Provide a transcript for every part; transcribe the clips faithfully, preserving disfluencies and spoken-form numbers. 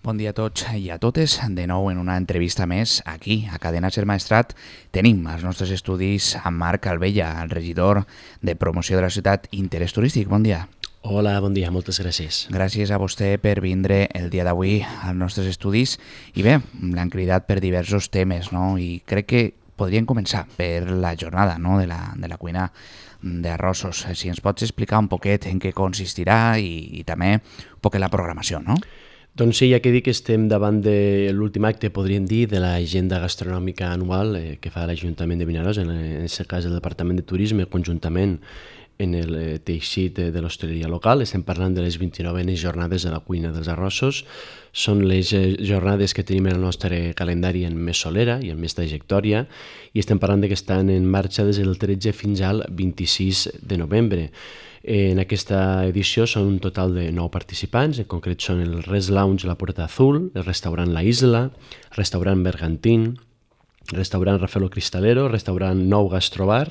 Bon dia a tots i a totes. De nou en una entrevista més aquí, a Cadena Ser Maestrat, tenim als nostres estudis a Marc Albella, el regidor de promoció de la ciutat Interès Turístic. Bon dia. Hola, bon dia, moltes gràcies. Gràcies a vostè per vindre el dia d'avui als nostres estudis. I bé, l'han cridat per diversos temes, no? I crec que podríem començar per la jornada, no? de, la, de la cuina d'arrossos. Si ens pots explicar un poquet en què consistirà i, i també un poquet la programació, no? Doncs sí, ja que dic que estem davant de l'últim acte, podríem dir, de l'agenda gastronòmica anual eh, que fa l'Ajuntament de Vinaròs, en aquest cas el Departament de Turisme, conjuntament en el eh, teixit de l'hostaleria local. Estem parlant de les vint-i-novenes jornades de la cuina dels arrossos. Són les eh, jornades que tenim en el nostre calendari en més solera i en més trajectòria, i estem parlant de que estan en marxa des del tretze fins al vint-i-sis de novembre. En aquesta edició són un total de nou participants, en concret són el Res Lounge La Puerta Azul, el restaurant La Isla, el restaurant Bergantín, el restaurant Rafaelo Cristalero, el restaurant Nou Gastrobar,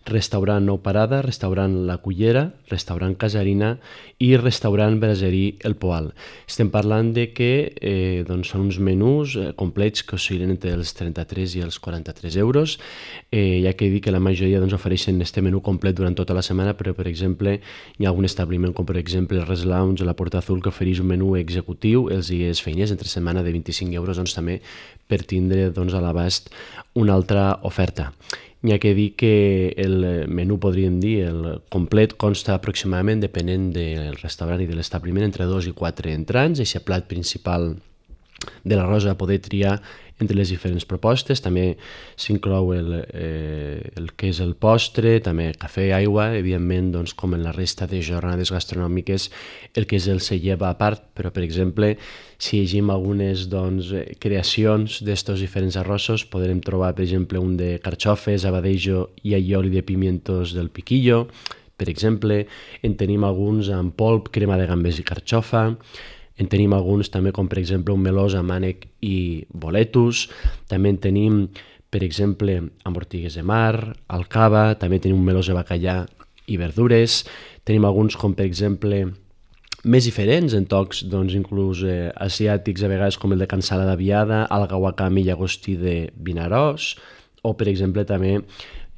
restaurant Nou Parada, restaurant La Cullera, restaurant Casarina i restaurant Braserí El Poal. Estem parlant de que eh, doncs són uns menús eh, complets que oscil·len entre els trenta-tres i els quaranta-tres euros, eh, ja que he dit que la majoria doncs, ofereixen este menú complet durant tota la setmana, però per exemple hi ha algun establiment com per exemple el Res Lounge, La Puerta Azul, que ofereix un menú executiu els dies feiners entre setmana de vint-i-cinc euros, doncs també per tindre doncs, a l'abast una altra oferta. N'hi ha que dir que el menú, podríem dir, el complet consta aproximadament, depenent del restaurant i de l'establiment, entre dos i quatre entrants. Aquest plat principal de l'arròs a poder triar entre les diferents propostes. També s'inclou el, eh, el que és el postre, també cafè, aigua, evidentment, doncs, com en la resta de jornades gastronòmiques, el que és el se lleva a part, però, per exemple, si llegim algunes doncs, creacions d'estos diferents arrossos, podrem trobar, per exemple, un de carxofes, abadejo i allioli de pimientos del piquillo, per exemple. En tenim alguns amb polp, crema de gambes i carxofa. En tenim alguns també, com per exemple un melós amb ànec i boletus. També en tenim, per exemple, amb ortigues de mar, alcava. També tenim un melós de bacallà i verdures. Tenim alguns, com per exemple, més diferents, en tocs doncs, inclús eh, asiàtics, a vegades com el de cansala d'aviada, alga wakame i llagostí de Vinaròs, o per exemple també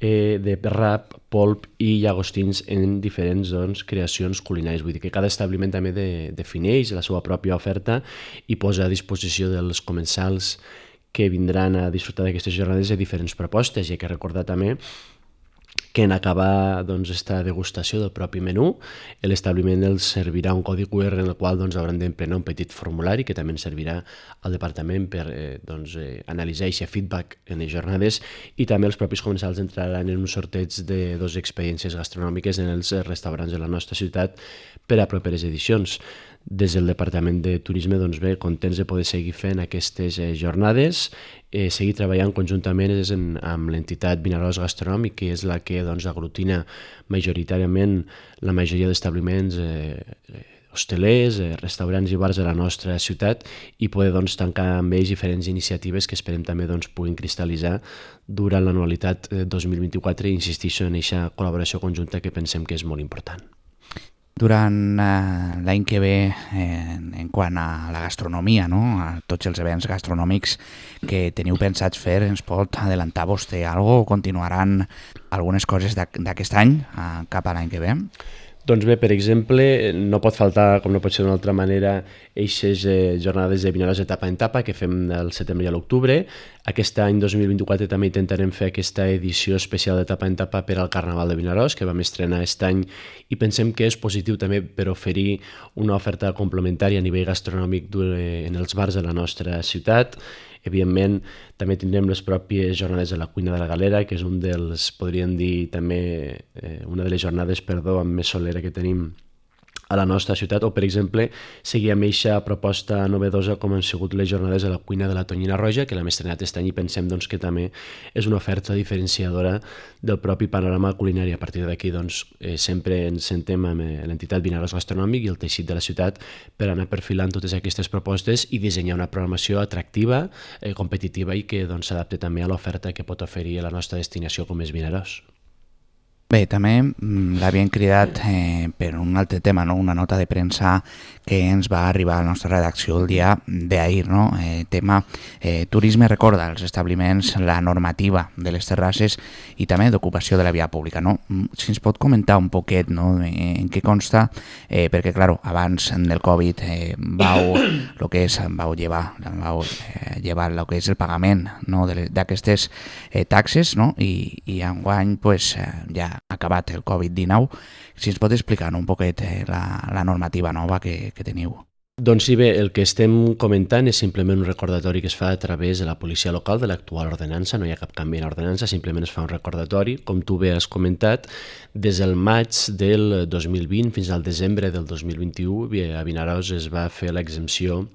eh, de rap, polp i llagostins en diferents doncs, creacions culinàries. Vull dir que cada establiment també de, defineix la seva pròpia oferta i posa a disposició dels comensals que vindran a disfrutar d'aquestes jornades de diferents propostes. I hay que recordar també que en acabar doncs, esta degustació del propi menú, l'establiment els servirà un codi cu erre en el qual doncs, hauran d'emplenar un petit formulari que també ens servirà al departament per eh, doncs, eh, analitzar aquest feedback en les jornades, i també els propis comensals entraran en un sorteig de dues experiències gastronòmiques en els restaurants de la nostra ciutat per a properes edicions. Des del Departament de Turisme, doncs bé, contents de poder seguir fent aquestes eh, jornades, eh, seguir treballant conjuntament en, amb l'entitat Vinaròs Gastronòmic, que és la que doncs, aglutina majoritàriament la majoria d'establiments eh, hostelers, eh, restaurants i bars de la nostra ciutat, i poder doncs, tancar amb ells diferents iniciatives que esperem també doncs, puguin cristal·litzar durant l'anualitat eh, dos mil vint-i-quatre, i insistixo en aquesta col·laboració conjunta que pensem que és molt important. Durant eh, l'any que ve, eh, en quant a la gastronomia, no? A tots els events gastronòmics que teniu pensats fer, ens pot adelantar vostè alguna cosa, o continuaran algunes coses d'aquest any eh, cap a l'any que ve? Doncs bé, per exemple, no pot faltar, com no pot ser d'una altra manera, eixes eh, jornades de Vinaròs etapa en etapa que fem del setembre i a l'octubre. Aquest any dos mil vint-i-quatre també intentarem fer aquesta edició especial d'etapa en etapa per al Carnaval de Vinaròs, que vam estrenar aquest any, i pensem que és positiu també per oferir una oferta complementària a nivell gastronòmic en els bars de la nostra ciutat. Evidentment, també tindrem les pròpies jornades de la cuina de la Galera, que és un dels, podríem dir, també eh, una de les jornades, perdó, amb més solera que tenim a la nostra ciutat, o per exemple seguir amb aquesta proposta novedosa com han sigut les jornades de la cuina de la Tonyina Roja, que l'hem estrenat aquest any, i pensem doncs, que també és una oferta diferenciadora del propi panorama culinari. A partir d'aquí doncs, eh, sempre ens sentem amb eh, l'entitat Vinaròs Gastronòmic i el teixit de la ciutat per anar perfilant totes aquestes propostes i dissenyar una programació atractiva, eh, competitiva, i que doncs, s'adapte també a l'oferta que pot oferir a la nostra destinació com és Vinaròs. Bé, també l'havien cridat eh, per un altre tema, no? Una nota de premsa que ens va arribar a la nostra redacció el dia d'ahir, no? Eh, tema eh, turisme recorda als establiments la normativa de les terrasses i també d'ocupació de la via pública, no? Si ens pot comentar un poquet, no? En què consta, eh, perquè, clar, abans del Covid eh, vau, lo que és, vau llevar, vau, eh, llevar lo que és el pagament, no? d'aquestes eh, taxes, no? I, i enguany pues, eh, ja ha acabat el Covid dinou. Si ens pot explicar, no? Un poquet eh, la, la normativa nova que, que teniu. Doncs sí, bé, el que estem comentant és simplement un recordatori que es fa a través de la policia local de l'actual ordenança, no hi ha cap canvi en l'ordenança, simplement es fa un recordatori. Com tu bé has comentat, des del maig del dos mil vint fins al desembre del dos mil vint-i-u, a Vinaròs es va fer l'exempció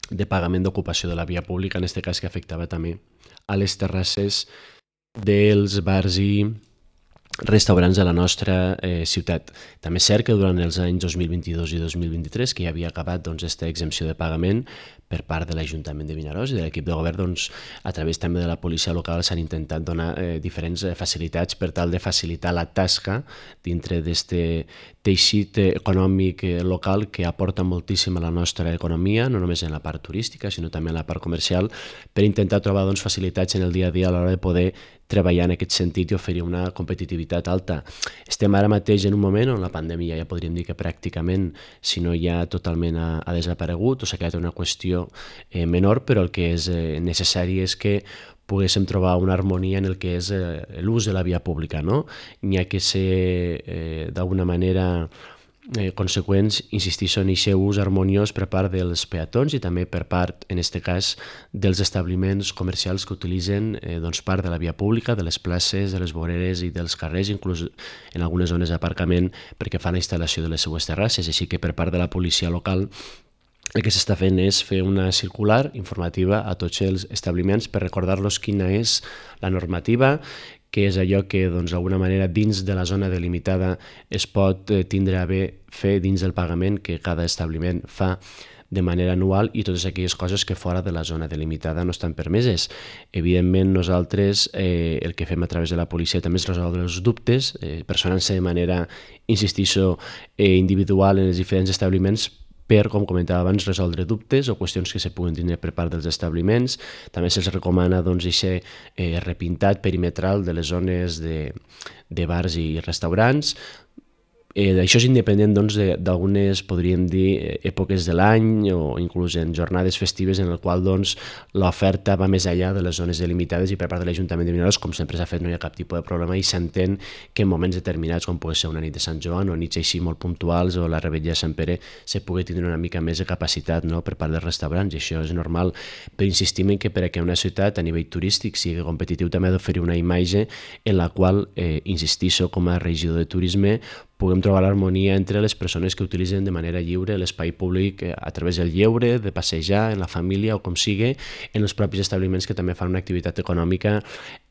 de pagament d'ocupació de la via pública, en aquest cas que afectava també a les terrasses dels bars i restaurants de la nostra eh, ciutat. També és cert que durant els anys dos mil vint-i-dos i dos mil vint-i-tres, que ja havia acabat doncs, aquesta exempció de pagament per part de l'Ajuntament de Vinaròs i de l'equip de govern, doncs, a través també de la policia local s'han intentat donar eh, diferents facilitats per tal de facilitar la tasca dintre d'aquest teixit econòmic local que aporta moltíssim a la nostra economia, no només en la part turística, sinó també en la part comercial, per intentar trobar doncs, facilitats en el dia a dia a l'hora de poder treballar en aquest sentit i oferir una competitivitat alta. Estem ara mateix en un moment on la pandèmia ja podríem dir que pràcticament, si no ja totalment ha, ha desaparegut o s'ha quedat una qüestió eh, menor, però el que és eh, necessari és que poguéssim trobar una harmonia en el que és eh, l'ús de la via pública, no? N'hi ha que ser eh, d'alguna manera Eh, conseqüents, insistixo en aquest ús harmoniós per part dels peatons i també per part, en aquest cas, dels establiments comercials que utilitzen eh, doncs part de la via pública, de les places, de les voreres i dels carrers, inclús en algunes zones d'aparcament perquè fan la instal·lació de les seues terrasses. Així que per part de la policia local el que s'està fent és fer una circular informativa a tots els establiments per recordar-los quina és la normativa, que és allò que doncs, d'alguna manera dins de la zona delimitada es pot eh, tindre a bé fer dins del pagament que cada establiment fa de manera anual i totes aquelles coses que fora de la zona delimitada no estan permeses. Evidentment, nosaltres eh, el que fem a través de la policia també és resoldre els dubtes, eh, personant-se de manera, insistixo, eh, individual en els diferents establiments per, com comentava abans, resoldre dubtes o qüestions que se puguen tindre per part dels establiments. També se'ls recomana doncs, aquest eh, repintat perimetral de les zones de, de bars i restaurants. Eh, això és independent doncs, d'algunes, podríem dir, èpoques de l'any o inclús en jornades festives en el qual doncs, l'oferta va més enllà de les zones delimitades i per part de l'Ajuntament de Vinaròs, com sempre s'ha fet, no hi ha cap tipus de problema i s'entén que en moments determinats, com pugui ser una nit de Sant Joan o nits així molt puntuals o la revetlla de Sant Pere, se pugui tindre una mica més de capacitat, no?, per part dels restaurants, i això és normal. Però insistim en que perquè una ciutat a nivell turístic sigui competitiu també ha d'oferir una imatge en la qual, eh, insistixo, com a regidor de turisme, puguem trobar l'harmonia entre les persones que utilitzen de manera lliure l'espai públic a través del lleure, de passejar, en la família o com sigui, en els propis establiments que també fan una activitat econòmica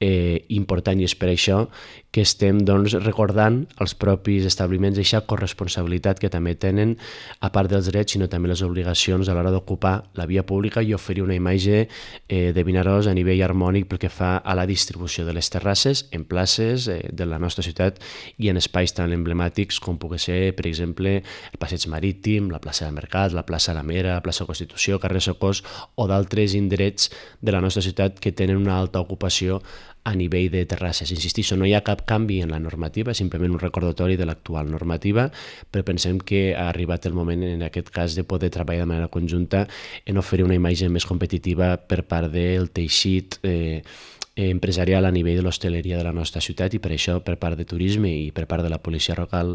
eh, important, i és per això que estem doncs, recordant als propis establiments aquesta corresponsabilitat que també tenen, a part dels drets, sinó també les obligacions a l'hora d'ocupar la via pública i oferir una imatge eh, de Vinaròs a nivell harmònic pel que fa a la distribució de les terrasses en places eh, de la nostra ciutat i en espais tan emblemàtics com pugui ser, per exemple, el Passeig Marítim, la plaça del Mercat, la plaça La Mera, la plaça Constitució, carrer Socors o d'altres indrets de la nostra ciutat que tenen una alta ocupació a nivell de terrasses. Insistixo, no hi ha cap canvi en la normativa, simplement un recordatori de l'actual normativa, però pensem que ha arribat el moment, en aquest cas, de poder treballar de manera conjunta en oferir una imatge més competitiva per part del teixit eh, empresarial a nivell de l'hostaleria de la nostra ciutat, i per això per part de turisme i per part de la policia local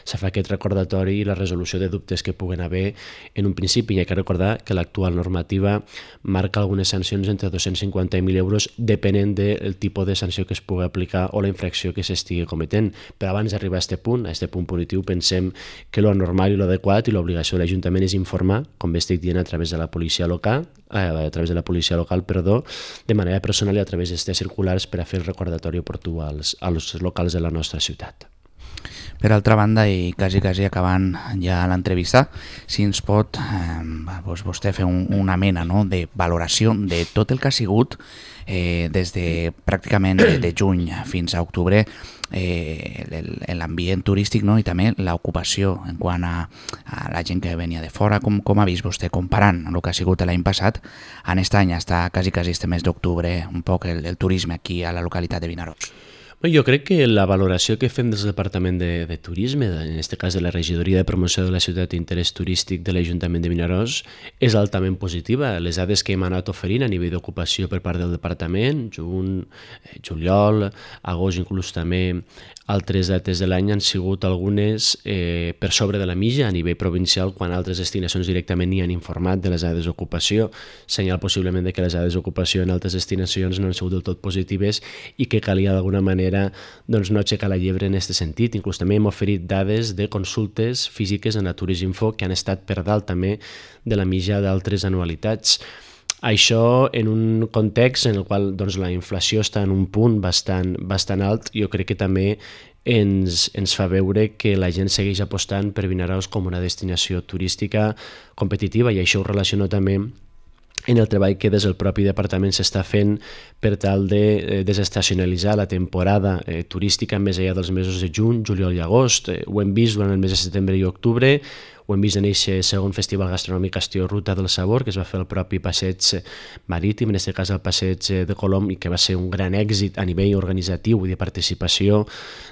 se fa aquest recordatori i la resolució de dubtes que puguen haver en un principi. Hi ha que recordar que l'actual normativa marca algunes sancions entre dos-cents cinquanta mil euros depenent del tipus de sanció que es pugui aplicar o la infracció que s'estigui cometent. Però abans d'arribar a aquest punt, a aquest punt punitiu, pensem que lo normal i lo adequat i l'obligació de l'Ajuntament és informar, com bé estic dient, a través de la policia local, eh, a través de la policia local, perdó, de manera personal i a través d'aquestes circulars per a fer el recordatori oportú als, als locals de la nostra ciutat. Per altra banda, i quasi, quasi acabant ja l'entrevista, si ens pot eh, doncs vostè fer un, una mena, no?, de valoració de tot el que ha sigut eh, des de pràcticament de, de juny fins a octubre eh, l'ambient turístic, no?, i també l'ocupació en quant a, a la gent que venia de fora. Com, com ha vist vostè comparant el que ha sigut l'any passat en aquest any, hasta quasi, quasi este mes d'octubre, un poc el, el turisme aquí a la localitat de Vinaròs? Jo crec que la valoració que fem des del Departament de, de Turisme, en aquest cas de la Regidoria de Promoció de la Ciutat d'Interès Turístic de l'Ajuntament de Vinaròs, és altament positiva. Les dades que hem anat oferint a nivell d'ocupació per part del Departament, juny, juliol, agost, inclús també altres dates de l'any han sigut algunes eh, per sobre de la mitja a nivell provincial, quan altres destinacions directament ni han informat de les dades d'ocupació, senyal possiblement de que les dades d'ocupació en altres destinacions no han sigut del tot positives i que calia d'alguna manera doncs, no aixecar la llebre en aquest sentit. Inclús també hem oferit dades de consultes físiques en la Turisminfo que han estat per dalt també de la mitja d'altres anualitats. Això en un context en el qual doncs, la inflació està en un punt bastant, bastant alt, jo crec que també ens, ens fa veure que la gent segueix apostant per Vinaròs com una destinació turística competitiva, i això ho relaciono també en el treball que des del propi departament s'està fent per tal de desestacionalitzar la temporada eh, turística més enllà dels mesos de juny, juliol i agost. Eh, ho hem vist durant el mes de setembre i octubre, ho hem vist en aquest segon festival gastronòmic estiu Ruta del Sabor, que es va fer al propi passeig marítim, en aquest cas el passeig de Colom, i que va ser un gran èxit a nivell organitzatiu i de participació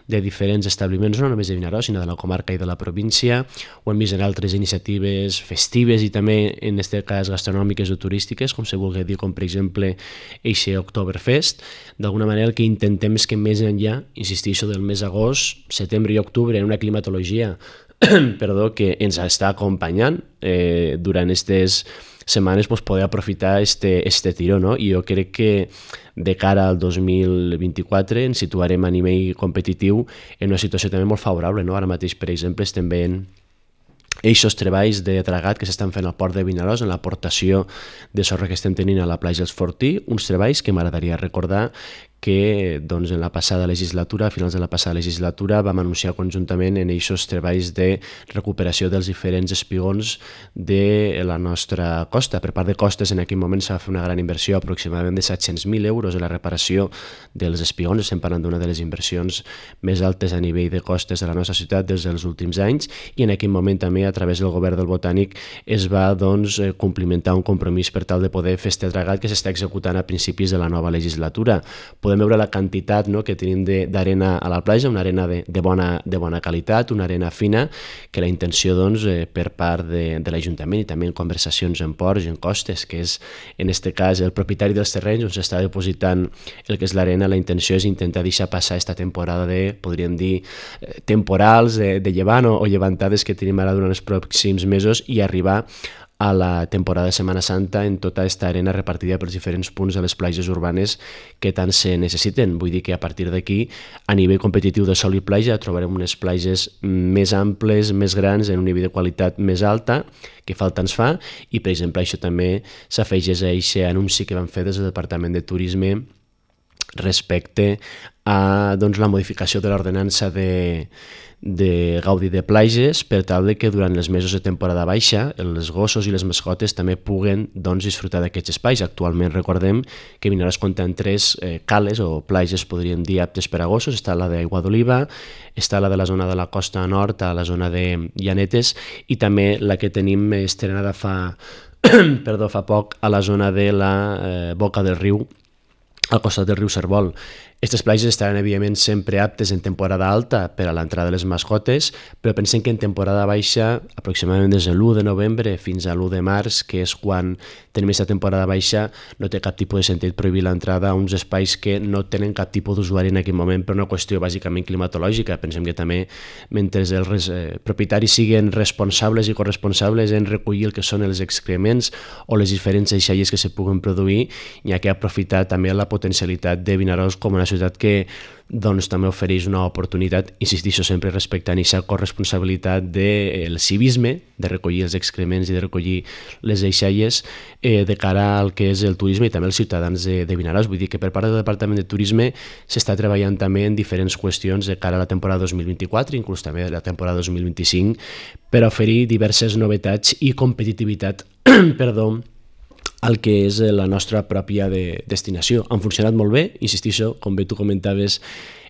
de diferents establiments, no només de Vinaròs, sinó de la comarca i de la província. Ho hem vist en altres iniciatives festives i també, en aquest cas, gastronòmiques o turístiques, com se vulgui dir, com per exemple eixe Oktoberfest. D'alguna manera el que intentem és que més enllà, insistixo, del mes d'agost, setembre i octubre, en una climatologia perdó, que ens està acompanyant eh, durant aquestes setmanes, pues, poder aprofitar este, este tiró, no? I jo crec que de cara al dos mil vint-i-quatre ens situarem a nivell competitiu en una situació també molt favorable, no? Ara mateix, per exemple, estem veient eixos treballs de tragat que s'estan fent al port de Vinaròs, en l'aportació de sorra que estem tenint a la platja dels Fortí, uns treballs que m'agradaria recordar que doncs, en la passada legislatura, a finals de la passada legislatura, vam anunciar conjuntament en aquests treballs de recuperació dels diferents espigons de la nostra costa. Per part de costes, en aquell moment s'ha fet una gran inversió, aproximadament de set-cents mil euros en la reparació dels espigons. Estem parlant d'una de les inversions més altes a nivell de costes de la nostra ciutat des dels últims anys, i en aquell moment també, a través del govern del Botànic, es va doncs, complimentar un compromís per tal de poder fer este tragat que s'està executant a principis de la nova legislatura. Podem veure la quantitat, no?, que tenim d'arena a la platja, una arena de, de, bona, de bona qualitat, una arena fina, que la intenció doncs, eh, per part de, de l'Ajuntament i també en conversacions en ports i en costes, que és en aquest cas el propietari dels terrenys on s'està depositant el que és l'arena, la intenció és intentar deixar passar aquesta temporada de, podríem dir, eh, temporals de, de llevant o, o llevantades que tenim ara durant els pròxims mesos i arribar a la temporada de Setmana Santa en tota aquesta arena repartida pels diferents punts de les platges urbanes que tant se necessiten. Vull dir que a partir d'aquí, a nivell competitiu de sol i platja, trobarem unes platges més amples, més grans, en un nivell de qualitat més alta, que falta ens fa, i per exemple això també s'afegeix a aquest anunci que vam fer des del Departament de Turisme respecte a doncs, la modificació de l'ordenança de, de gaudi de platges per tal de que durant els mesos de temporada baixa els gossos i les mascotes també puguen doncs, disfrutar d'aquests espais. Actualment recordem que Vinaròs compta amb tres eh, cales o platges, podríem dir, aptes per a gossos. Està la d'Aigua d'Oliva, està la de la zona de la costa nord, a la zona de Llanetes, i també la que tenim estrenada fa, perdó, fa poc a la zona de la eh, Boca del Riu, al costat del riu Cervol. Aquestes platges estaran, evidentment, sempre aptes en temporada alta per a l'entrada de les mascotes, però pensem que en temporada baixa, aproximadament des de l'u de novembre fins a l'u de març, que és quan tenim aquesta temporada baixa, no té cap tipus de sentit prohibir l'entrada a uns espais que no tenen cap tipus d'usuari en aquest moment per una qüestió bàsicament climatològica. Pensem que també, mentre els eh, propietaris siguin responsables i corresponsables en recollir el que són els excrements o les diferents deixalles que se puguen produir, hi ha que aprofitar també la potencialitat de Vinaròs com una ciutat que doncs, també ofereix una oportunitat, insistixo sempre respectant aquesta corresponsabilitat del civisme, de recollir els excrements i de recollir les deixalles eh, de cara al que és el turisme i també els ciutadans de, de Vinaròs. Vull dir que per part del Departament de Turisme s'està treballant també en diferents qüestions de cara a la temporada dos mil vint-i-quatre, inclús també la temporada dos mil vint-i-cinc, per oferir diverses novetats i competitivitat perdó, el que és la nostra pròpia de destinació. Han funcionat molt bé, insistixo, com bé tu comentaves,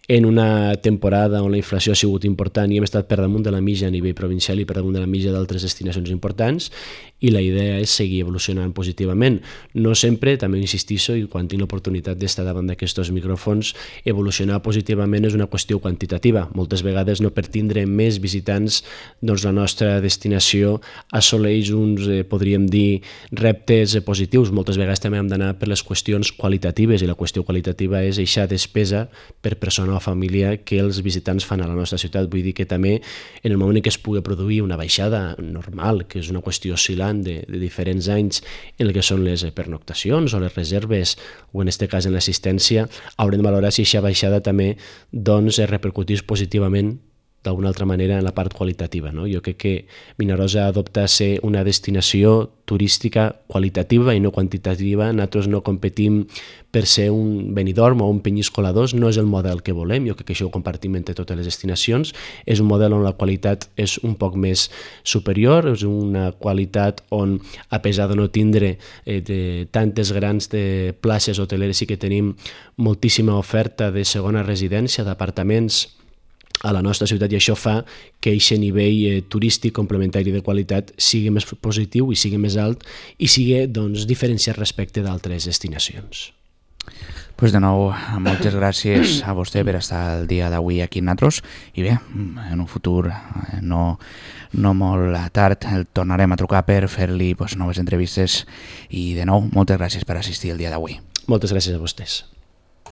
en una temporada on la inflació ha sigut important i hem estat per damunt de la mitja a nivell provincial i per damunt de la mitja d'altres destinacions importants, i la idea és seguir evolucionant positivament. No sempre, també insistixo, i quan tinc l'oportunitat d'estar davant d'aquests micròfons, evolucionar positivament és una qüestió quantitativa. Moltes vegades no per tindre més visitants, doncs la nostra destinació assoleix uns, eh, podríem dir, reptes positius. Moltes vegades també hem d'anar per les qüestions qualitatives, i la qüestió qualitativa és eixa despesa per persona o família que els visitants fan a la nostra ciutat. Vull dir que també en el moment en què es pugui produir una baixada normal, que és una qüestió oscil·lant de, de diferents anys en el que són les pernoctacions o les reserves, o en aquest cas en l'assistència, haurem de valorar si aquesta baixada també doncs, es repercutís positivament d'alguna altra manera en la part qualitativa. No? Jo crec que Vinaròs adopta a ser una destinació turística qualitativa i no quantitativa. Nosaltres no competim per ser un Benidorm o un Penyíscola dos, no és el model que volem, jo crec que això ho compartim entre totes les destinacions, és un model on la qualitat és un poc més superior, és una qualitat on, a pesar de no tindre eh, de tantes grans de places hoteleres, sí que tenim moltíssima oferta de segona residència, d'apartaments a la nostra ciutat, i això fa que aquest nivell eh, turístic complementari de qualitat sigui més positiu i sigui més alt i sigui doncs, diferenciat respecte d'altres destinacions. Pues de nou, moltes gràcies a vostè per estar el dia d'avui aquí amb nosaltres, i bé, en un futur no, no molt tard el tornarem a trucar per fer-li pues, noves entrevistes, i de nou, moltes gràcies per assistir el dia d'avui. Moltes gràcies a vostès.